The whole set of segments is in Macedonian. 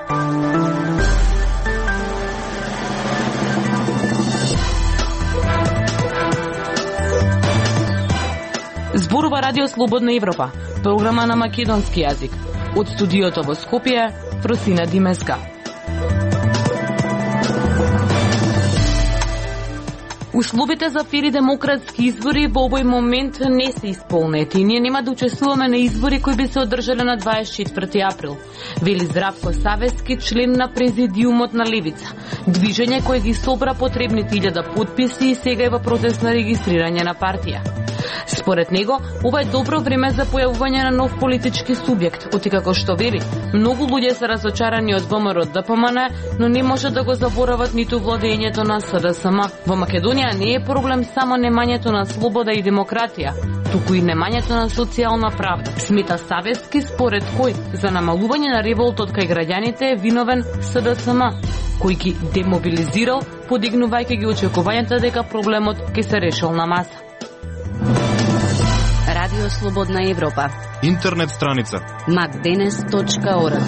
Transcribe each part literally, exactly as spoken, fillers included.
Зборува Радио Слободна Европа, програма на македонски јазик. Од студиото во Скопје, Фросина Димеска. Условите за фери демократски избори во овој момент не се исполнети. Ние нема да учествуваме на избори кои би се одржале на дваесет и четврти април, вели Здравко Савески, член на президиумот на Левица. Движење кое ги собра потребните илјада потписи и сега е во процес на регистрирање на партија. Според него, ова е добро време за појавување на нов политички субјект, отикако што вели, многу луѓе се разочарани од ВМРО ДПМН, но не може да го заборават ниту владењето на СДСМ. Во Македонија не е проблем само немањето на слобода и демократија, туку и немањето на социјална правда. Смета Савески, според кој за намалување на револтот кај граѓаните е виновен СДСМ, кој ги демобилизирал, подигнувајќи ги очекувањата дека проблемот ќе се решил на маса. Радио Слободна Европа. Интернет страница макденес точка орг.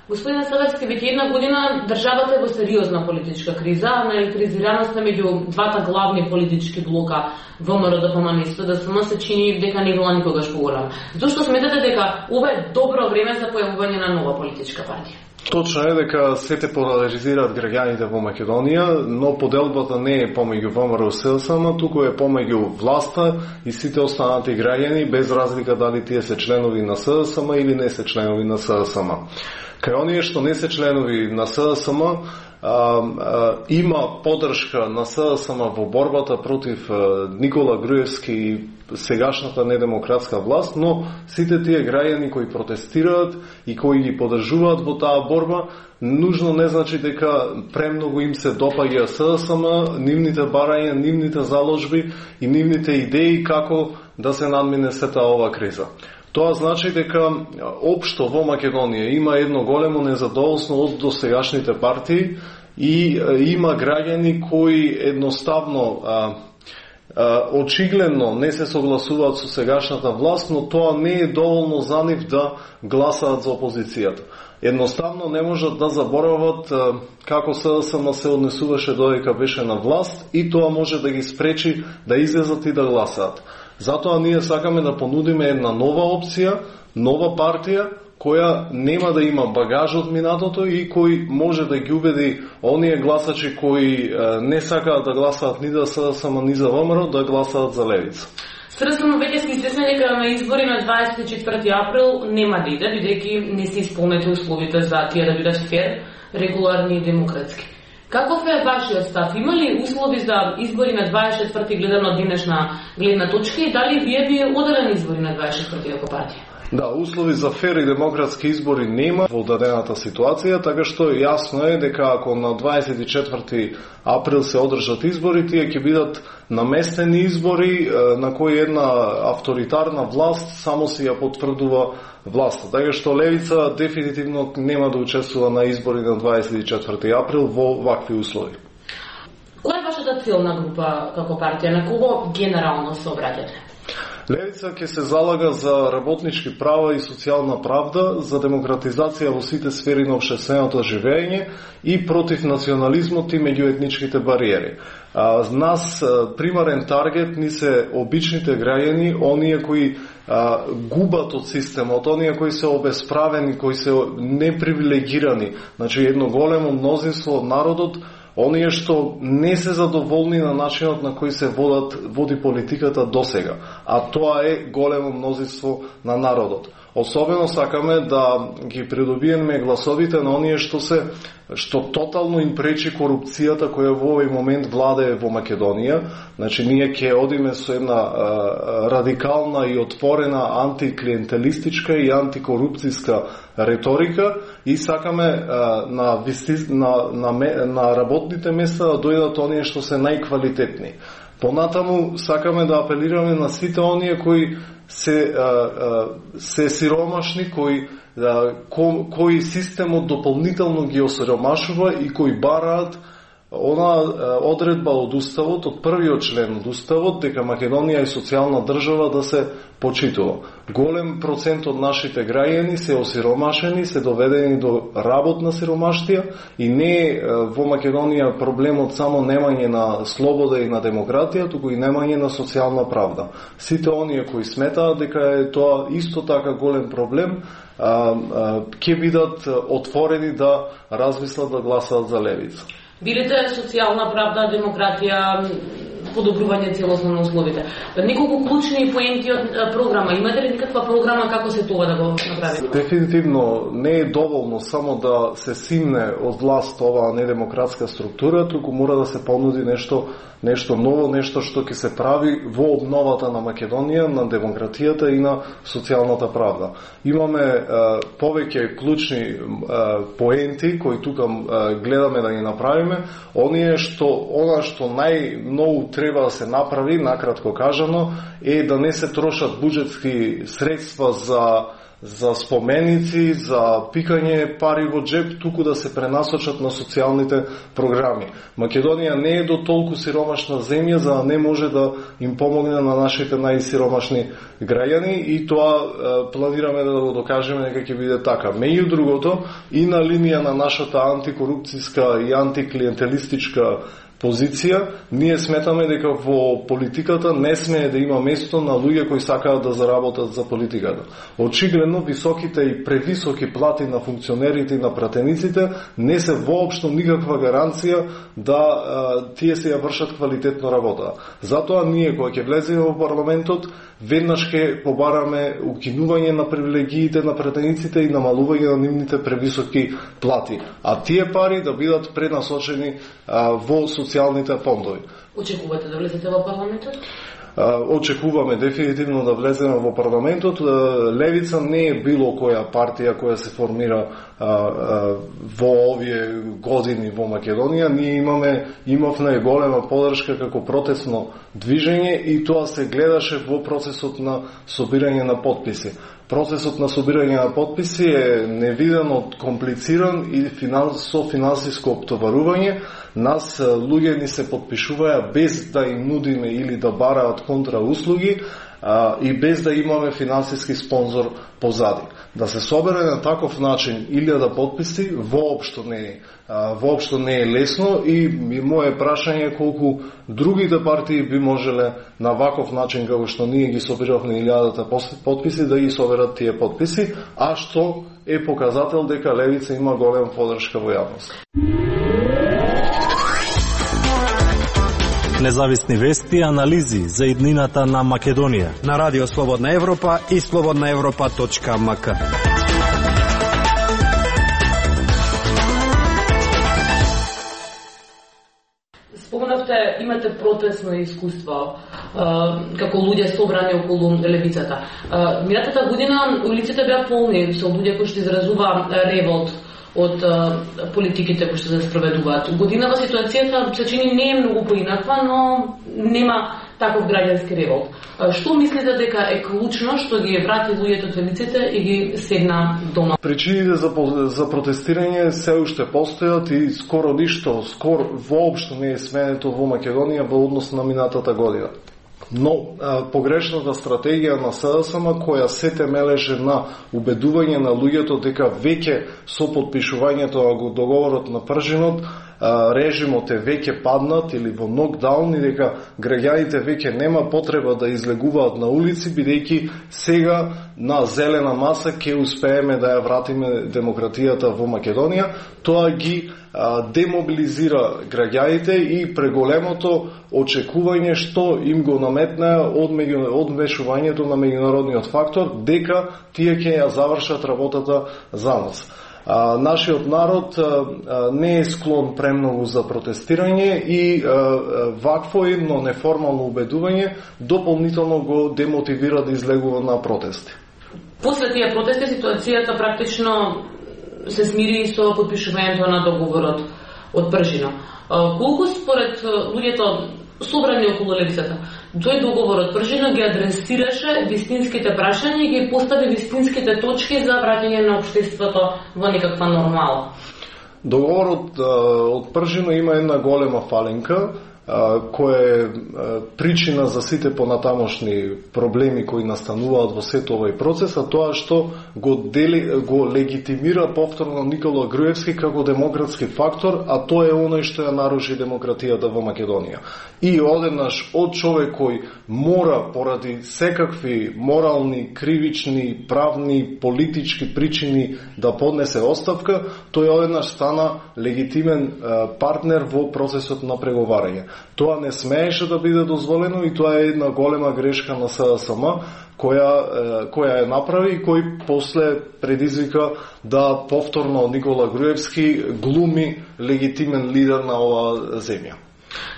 Господин Савески, веќе една година државата е во сериозна политичка криза, наелектризираноста меѓу двата главни политички блока ВМРО ДПМН и СДСМ се чини дека не била никогаш поголема. Зошто сметате дека ова е добро време за појавување на нова политичка партија? Точно е дека сите поларизираат граѓаните во Македонија, но поделбата не е помеѓу ВМРО и СДСМ, туку е помеѓу власта и сите останати граѓани, без разлика дали тие се членови на СДСМ или не се членови на СДСМ. Кај оние што не се членови на СДСМ, А, а, има поддршка на СДСМ во борбата против а, Никола Груевски и сегашната недемократска власт, но сите тие граѓани кои протестираат и кои ги поддржуваат во таа борба, нужно не значи дека премногу им се допаѓа СДСМ, нивните барања, нивните заложби и нивните идеи како да се надмине сета ова криза. Тоа значи дека општо во Македонија има едно големо незадоволство од досегашните партии и има граѓани кои едноставно а, а, очигледно не се согласуваат со сегашната власт, но тоа не е доволно за нив да гласаат за опозицијата. Едноставно не можат да заборават а, како СДСМ се однесуваше додека беше на власт и тоа може да ги спречи да излезат и да гласаат. Затоа ние сакаме да понудиме една нова опција, нова партија, која нема да има багаж од минатото и кој може да ги убеди оние гласачи кои е, не сакаат да гласаат ни за СДСМ, ни за ВМРО, да гласаат за Левица. СДСМ веќе се известни дека на избори на дваесет и четврти април нема да иде, бидејќи не се исполнети условите за тие да бидат фер, регуларни и демократски. Каков е вашиот став? Има ли услови за избори на дваесет и четврти гледано од денешна гледна точка и дали вие би оделени избори на дваесет и четврти како партија? Да, услови за фер и демократски избори нема во дадената ситуација, така што јасно е дека ако на дваесет и четврти април се одржат избори, тие ќе бидат наместени избори на кои една авторитарна власт само си ја потврдува власта. Така што Левица дефинитивно нема да учествува на избори на дваесет и четврти април во вакви услови. Која е вашата целна група како партија? На кого генерално се обраќате? Левица ќе се залага за работнички права и социјална правда, за демократизација во сите сфери на општественото живење и против национализмот и меѓуетничките бариери. А, нас примарен таргет ни се обичните граѓани, оние кои а, губат од системот, оние кои се обесправени, кои се непривилегирани, значи едно големо мнозинство од народот, оние што не се задоволни на начинот на кој се водат, води политиката досега, а тоа е големо мнозинство на народот. Особено сакаме да ги придобиеме гласовите на оние што се што тотално им пречи корупцијата која во овој момент владее во Македонија. Значи ние ќе одиме со една а, радикална и отворена антиклиентелистичка и антикорупцијска реторика и сакаме а, на, на, на, на работните места да дојдат оние што се најквалитетни. Понатаму сакаме да апелираме на сите оние кои се, а, а, се сиромашни, кои, а, ко, кои системот дополнително ги осиромашува и кои бараат она одредба од Уставот, од првиот член од Уставот, дека Македонија е социјална држава да се почитува. Голем процент од нашите граѓани се осиромашени, се доведени до работна сиромаштија и не е во Македонија проблемот само немање на слобода и на демократија, туку и немање на социјална правда. Сите оние кои сметаат дека е тоа исто така голем проблем, ќе бидат отворени да размислат да гласаат за левица. Билите социјална правда, демократија, подобрување целосно на условите. Неколку клучни поенти од програма. Имате ли никаква програма како се тоа да го направите? Дефинитивно не е доволно само да се симне од власт оваа недемократска структура, туку мора да се понуди нешто нешто ново, нешто што ќе се прави во обновата на Македонија, на демократијата и на социјалната правда. Имаме е, повеќе клучни е, поенти кои тука е, гледаме да ги направиме. Оние што она што најмногу треба да се направи, накратко кажано, е да не се трошат буџетски средства за за споменици, за пикање пари во джеп, туку да се пренасочат на социјалните програми. Македонија не е до толку сиромашна земја за да не може да им помогне на нашите најсиромашни граѓани и тоа е, планираме да го докажеме дека ќе биде така. Меѓу другото, и на линија на нашата антикорупцијска и антиклиентелистичка позиција, ние сметаме дека во политиката не смее да има место на луѓе кои сакаат да заработат за политиката. Очигледно, високите и превисоки плати на функционерите и на пратениците не се воопшто никаква гаранција да а, тие се ја вршат квалитетно работа. Затоа ние, кога ќе влеземе во парламентот, веднаш ќе побараме укинување на привилегиите на пратениците и намалување на нивните превисоки плати. А тие пари да бидат пренасочени а, во социјалните фондови. Очекувате да влезете во парламентот? Очекуваме дефинитивно да влеземе во парламентот. Левица не е било која партија која се формира а, а, во овие години во Македонија. Ние имаме имавме голема поддршка како протестно движење и тоа се гледаше во процесот на собирање на потписи. Процесот на собирање на потписи е невидено комплициран и финанс, со финансиско оптоварување. Нас луѓе ни се потпишуваја без да им нудиме или да бараат контрауслуги а, и без да имаме финансиски спонзор позади. Да се собере на таков начин илјада потписи воопшто не е а, воопшто не е лесно и, и мое прашање е колку другите партии би можеле на ваков начин како што ние ги собиравме илјадата потписи да ги соберат тие потписи, а што е показател дека левица има голема поддршка во јавност. Независни вести и анализи за иднината на Македонија на Радио Слободна Европа и слободна европа точка ем ка. Спомнавте, имате протестно искуство како луѓе собрани околу левицата. Минатата година улиците беа полни со луѓе кои што изразува револт од а, политиките кои што се спроведуваат. Годинава ситуацијата се чини не е многу поинаква, но нема таков граѓански револт. А, што мислите дека е клучно што ги врати луѓето од улиците и ги седна дома? Причините за, за протестирање се уште постојат и скоро ништо, скоро воопшто не е сменето во Македонија во однос на минатата година. Но а, погрешната стратегија на СДСМ која се темелеше на убедување на луѓето дека веќе со потпишувањето на договорот на пржинот а, режимот е веќе паднат или во нокдаун и дека граѓаните веќе нема потреба да излегуваат на улици бидејќи сега на зелена маса ќе успееме да ја вратиме демократијата во Македонија. Тоа ги демобилизира граѓаните и преголемото очекување што им го наметна од, меѓу, од вмешувањето на меѓународниот фактор дека тие ќе ја завршат работата за нас. А, нашиот народ а, не е склон премногу за протестирање и а, вакво едно неформално убедување дополнително го демотивира да излегува на протести. После тие протести ситуацијата практично се смири со подпишувањето на договорот од пржина. Колку според луѓето собрани околу левицата, тој договор од пржина ги адресираше вистинските прашања и ги постави вистинските точки за враќање на општеството во некаква нормала? Договорот од пржино има една голема фаленка, која е причина за сите понатамошни проблеми кои настануваат во сето овој процес, а тоа што го, дели, го легитимира повторно Никола Груевски како демократски фактор, а тоа е оној што ја наруши демократијата во Македонија. И одеднаш од човек кој мора поради секакви морални, кривични, правни, политички причини да поднесе оставка, тој одеднаш стана легитимен партнер во процесот на преговарање. Тоа не смееше да биде дозволено и тоа е една голема грешка на СДСМ која, која ја направи и кој после предизвика да повторно Никола Груевски глуми легитимен лидер на оваа земја.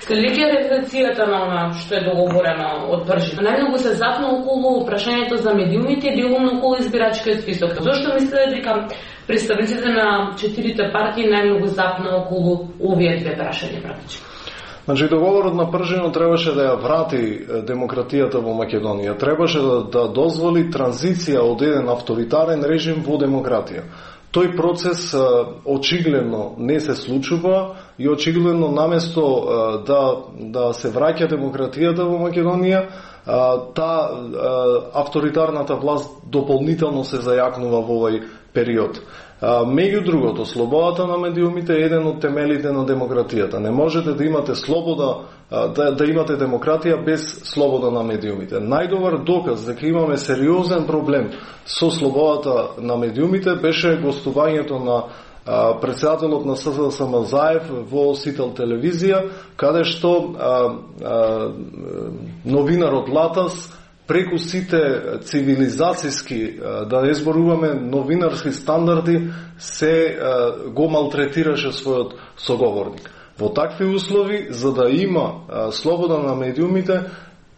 Следејќи реализацијата на она што е договорено од пржино, најмногу се запна околу прашањето за медиумите и делумно околу избирачкиот список. Зошто мислите дека представниците на четирите партии најмногу запна околу овие две прашања практично? Значи, договорот на пржино требаше да ја врати демократијата во Македонија. Требаше да, да дозволи транзиција од еден авторитарен режим во демократија. Тој процес очигледно не се случува и очигледно наместо да, да се враќа демократијата во Македонија, та авторитарната власт дополнително се зајакнува во овој период. Меѓу другото, слободата на медиумите е еден од темелите на демократијата. Не можете да имате слобода, да, да имате демократија без слобода на медиумите. Најдобар доказ дека имаме сериозен проблем со слободата на медиумите беше гостувањето на председателот на СДСМ Заев во Сител телевизија, каде што а, а, новинарот Латас преку сите цивилизацијски, да не зборуваме новинарски стандарди, се го малтретираше својот соговорник. Во такви услови, за да има слобода на медиумите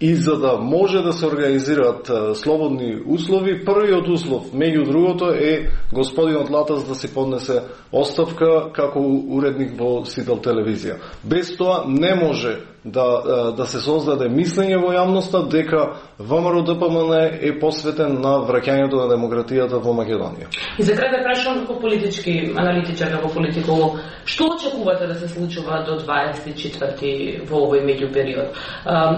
и за да може да се организираат слободни услови, првиот услов, меѓу другото, е господинот Латас да си поднесе оставка како уредник во Сител телевизија. Без тоа не може да, да се создаде мислење во јавноста дека ВМРО Д П М Н е посветен на враќањето на демократијата во Македонија. И за крај да прашам како политички аналитичар, како политиколог, што очекувате да се случува до дваесет и четврти во овој меѓупериод?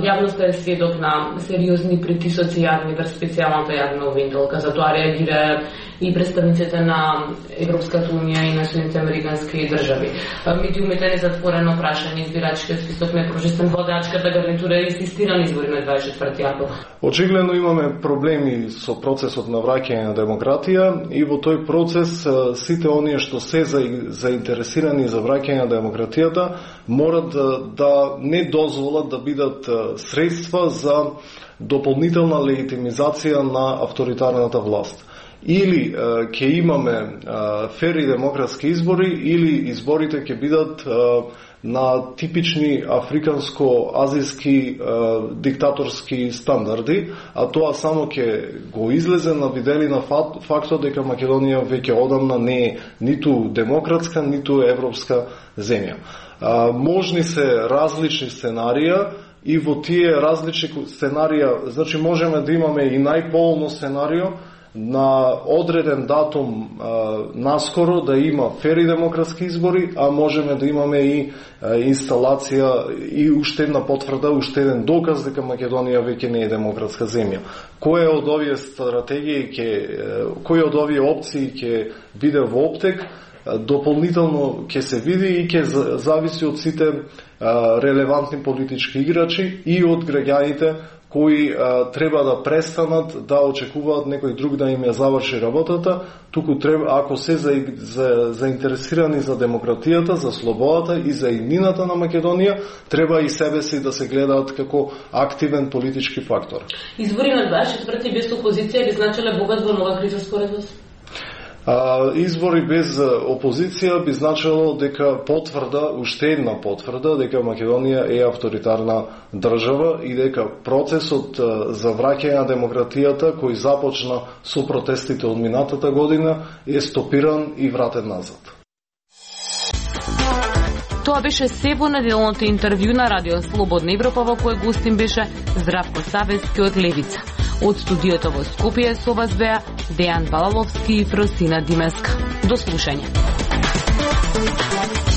Јавноста е сведок на сериозни притисоци јавни врз специјалната јавна обвинителка, за тоа реагира и представниците на Европската унија и на Соединените американски држави. Медиумите не затворено прашање, избирачкиот список не прожестен, владачката гарнитура инсистира на избори на дваесет и четврти април. Очигледно имаме проблеми со процесот на враќање на демократија и во тој процес сите оние што се заинтересирани за враќање на демократијата морат да, да не дозволат да бидат средства за дополнителна легитимизација на авторитарната власт. Или ќе имаме фери демократски избори, или изборите ќе бидат на типични африканско-азијски диктаторски стандарди, а тоа само ќе го излезе на виделина фактот дека Македонија веќе одамна не е ниту демократска, ниту европска земја. Можни се различни сценарија, и во тие различни сценарија, значи можеме да имаме и најполно сценарио на одреден датум а, наскоро да има фери демократски избори, а можеме да имаме и а, инсталација и уште една потврда, уште еден доказ дека Македонија веќе не е демократска земја. Која од овие стратегии ќе, кој од овие опции ќе биде во оптек, дополнително ќе се види и ќе зависи од сите а, релевантни политички играчи и од граѓаните кои а, треба да престанат да очекуваат некој друг да им ја заврши работата, туку треба, ако се за, за, заинтересирани за демократијата, за слободата и за иднината на Македонија, треба и себе си да се гледаат како активен политички фактор. Избори на дваесет и четврти без опозиција би значеле богат во нова криза според вас? А, избори без опозиција би значило дека потврда, уште една потврда, дека Македонија е авторитарна држава и дека процесот за враќање на демократијата кој започна со протестите од минатата година е стопиран и вратен назад. Тоа беше се во неделното интервју на Радио Слободна Европа, во кој гостин беше Здравко Савески од Левица. Од студиото во Скопје со вас беа Дејан Балаловски и Фросина Димеска. До слушање. Европа.